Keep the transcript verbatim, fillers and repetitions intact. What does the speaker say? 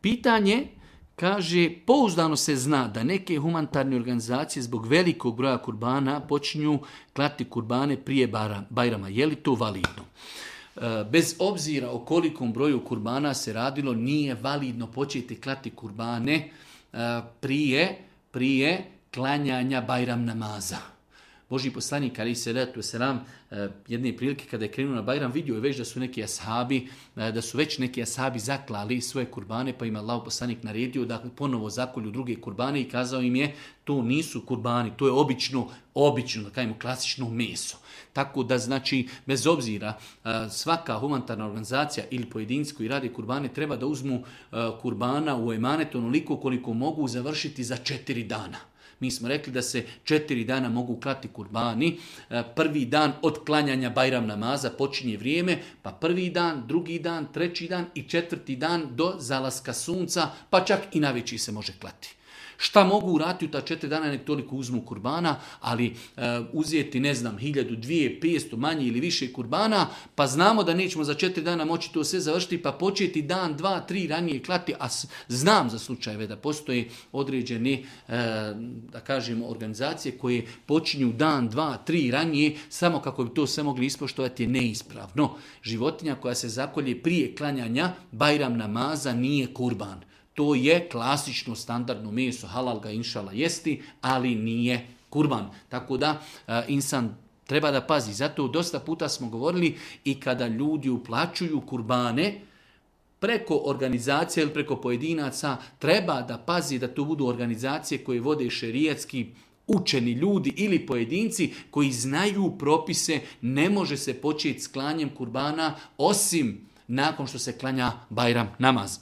Pitanje, kaže, pouzdano se zna da neke humanitarne organizacije zbog velikog broja kurbana počinju klati kurbane prije Bajrama. Je li to validno? Bez obzira o kolikom broju kurbana se radilo, nije validno početi klati kurbane prije, prije klanjanja Bajram namaza. Božji poslanik, ali se ratu selam, jedne prilike kada je krenuo na Bajram, vidio je već da su neki ashabi, da su već neki ashabi zaklali svoje kurbane, pa im Allah poslanik naredio da ponovo zakolju druge kurbane i kazao im je, to nisu kurbani, to je obično, obično, da kažemo, klasično meso. Tako da, znači, bez obzira, svaka humanitarna organizacija ili pojedinci koji rade kurbane treba da uzmu kurbana u emanet onoliko koliko mogu završiti za četiri dana. Mi smo rekli da se četiri dana mogu klati kurbani. Prvi dan od klanjanja Bajram namaza počinje vrijeme, pa prvi dan, drugi dan, treći dan i četvrti dan do zalaska sunca, pa čak i navečer se može klati. Šta mogu uraditi u ta četiri dana, nek toliko uzmu kurbana, ali uh, uzeti, ne znam, hiljadu, dvije, petsto, manje ili više kurbana, pa znamo da nećemo za četiri dana moći to sve završiti, pa početi dan, dva, tri ranije klati, a znam za slučajeve da postoje određene, uh, da kažemo, organizacije koje počinju dan, dva, tri ranije, samo kako bi to sve mogli ispoštovati je neispravno. Životinja koja se zakolje prije klanjanja Bajram namaza nije kurban. To je klasično standardno meso, halal ga inšala jesti, ali nije kurban. Tako da uh, insan treba da pazi. Zato dosta puta smo govorili i kada ljudi uplaćuju kurbane preko organizacije ili preko pojedinaca, treba da pazi da to budu organizacije koje vode šerijatski učeni ljudi ili pojedinci koji znaju propise. Ne može se početi s klanjem kurbana osim nakon što se klanja Bajram namaz.